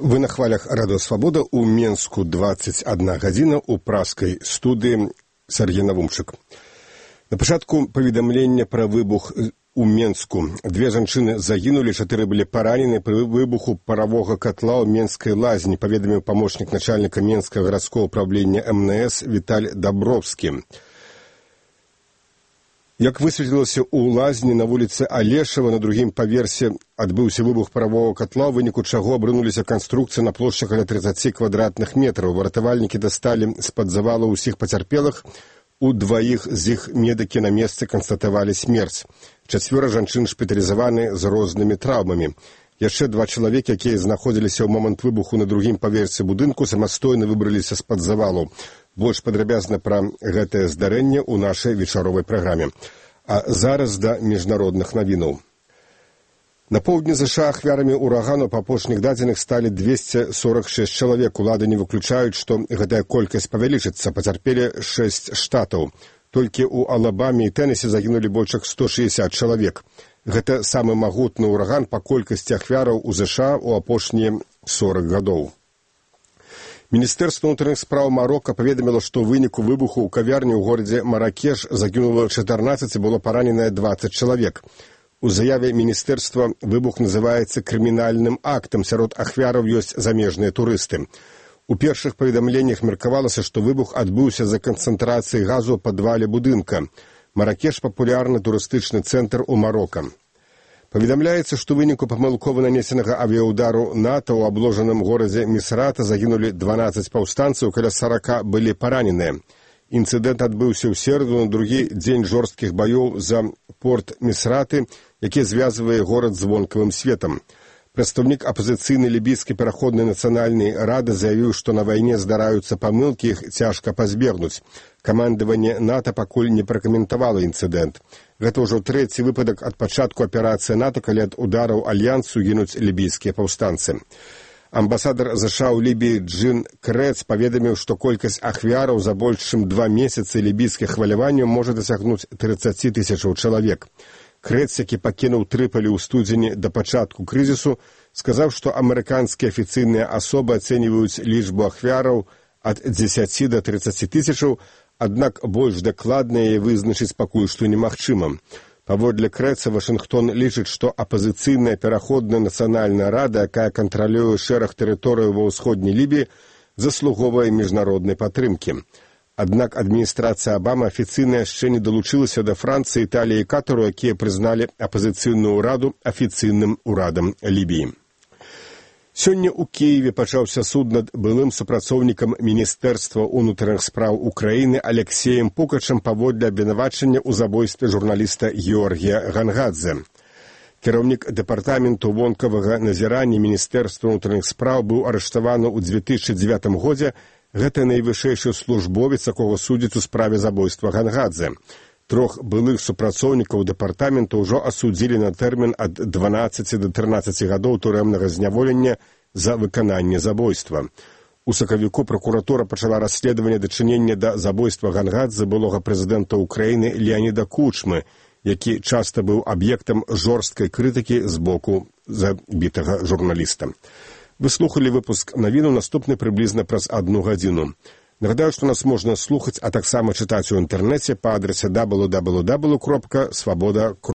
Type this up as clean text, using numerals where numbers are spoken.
Вы на хвалях Радио Свобода. У Менску 21 гадзіна, у праскай студыі Сергей Навумчык. На пачатку паведамлення пра выбух у Менску. 2 жанчыны загінулі, 4 былі паранены пры выбуху паравога катла ў Менскай лазні, паведаміў памочнік начальніка Менскага гарадскога ўправлення МНС Віталь Дабровскі. Як высветлілася, у лазні на вуліцы Алешава на другім паверсе адбыўся выбух паравога катла, у выніку чаго абрынуліся канструкцыі на плошчы каля 30 квадратных метраў. Выратавальнікі дасталі з-пад завала ўсіх пацярпелых. У 2 з іх медыкі на месцы канстатавалі смерць. 4 жанчын шпіталізаваны з рознымі траўмамі. Яшчэ 2 чалавекі, якія знаходзіліся ў момант выбуху на другім паверсе будынку, самастойна выбраліся з-пад завалу. Больш падрабязна пра гэтае здарэнне ў нашай вечаровай праграме. А зараз да міжнародных навінаў. На поўдні ЗША ахвярамі урагану па апошніх дадзеных сталі 246 чалавек. Улады не выключаюць, што гэтая колькасць павялічыцца. Пацярпелі 6 штатаў. Толькі ў Алабаме і Тэнесе загінулі больш як 160 чалавек. Гэта самы магутны ураган па колькасці ахвяраў у ЗША ў апошнія 40 гадоў. Міністэрства ўнутраных спраў Марока паведаміла, што ў выніку выбуху ў кавярні ў горадзе Маракеш загінула 14 і было параненае 20 чалавек. У заяве міністэрства выбух называецца крымінальным актам, сярод ахвяраў ёсць замежныя турысты. У першых паведамленнях меркавалася, што выбух адбыўся за канцэнтрацыяй газу ў падвале будынка. Маракеш – папулярны турыстычны цэнтр у Марока. Паведамляецца, што выніку памылкова нанесенага авіяудару НАТО ў абложаным горадзе Місрата загінулі 12 паўстанцаў, каля 40 былі параненыя. Інцыдэнт адбыўся ў сераду на другі дзень жорсткіх баёў за порт Місраты, які звязвае горад з вонкавым светам. Прадстаўнік апазіцыйнай лібійскай пераходнай нацыянальнай рады заявіў, што на вайне здараюцца памылкі, іх цяжка пазбегнуць. Камандаванне НАТО пакуль не пракаментавала інцыдэнт. Гэта ўжо 3-й выпадак ад пачатку аперацыі НАТО, калі ад удараў альянсу гінуць лібійскія паўстанцы. Амбасадар ЗША ў Лібіі Джин Крэц паведаміў, што колькасць ахвяраў за больш чым 2 месяцы лібійскіх хваляванняў можа дасягнуць 30 тысячаў чалавек. Крэц, які пакінуў Трыполі ў студзені да пачатку крызісу, сказаў, што амерыканскія афіцыйныя асобы ацэньваюць лічбу ахвяраў ад 10 да 30 тысячаў, аднак больш дакладна яе вызначыць пакуль што немагчыма. Паводле Крэца, Вашынгтон лічыць, што апазіцыйная пераходная нацыянальная рада, якая кантралюе шэраг тэрыторыяў ва ўсходняй Лібіі, заслугоўвае міжнароднай падтрымкі. Аднак адміністрацыя Абама афіцыйна яшчэ не далучылася да Францыі, Італіі і Катару, якія прызналі апазіцыйную ўраду афіцыйным урадам Лібіі. Сёння ў Кіеве пачаўся суд над былым супрацоўнікам Міністэрства ўнутраных спраў Украіны Алексеем Пукачам паводле абвінавачання ў забойстве журналіста Георгія Гангадзе. Кіраўнік дэпартаменту вонкавага назірання Міністэрства ўнутраных спраў быў арыштаваны ў 2009 годзе. Гэта найвышэйшы службовец, якога судзяць у справе забойства Гангадзе. 3 былых супрацоўнікаў дэпартамента ўжо асудзілі на тэрмін ад 12 до 13 гадоў турэмнага зняволення за выкананне забойства. У сакавіку пракуратура пачала расследаванне дачынення да забойства Гангадзе былога прэзідэнта Украіны Леаніда Кучмы, які часта быў аб'ектам жорсткай крытыкі з боку забітага журналіста. Вы слухали выпуск навіну, наступны прыблізна праз 1 гадзіну. Нагадаю, што нас можна слухаць, а таксама чытаць у інтэрнэце па адрасе www.svoboda.ru.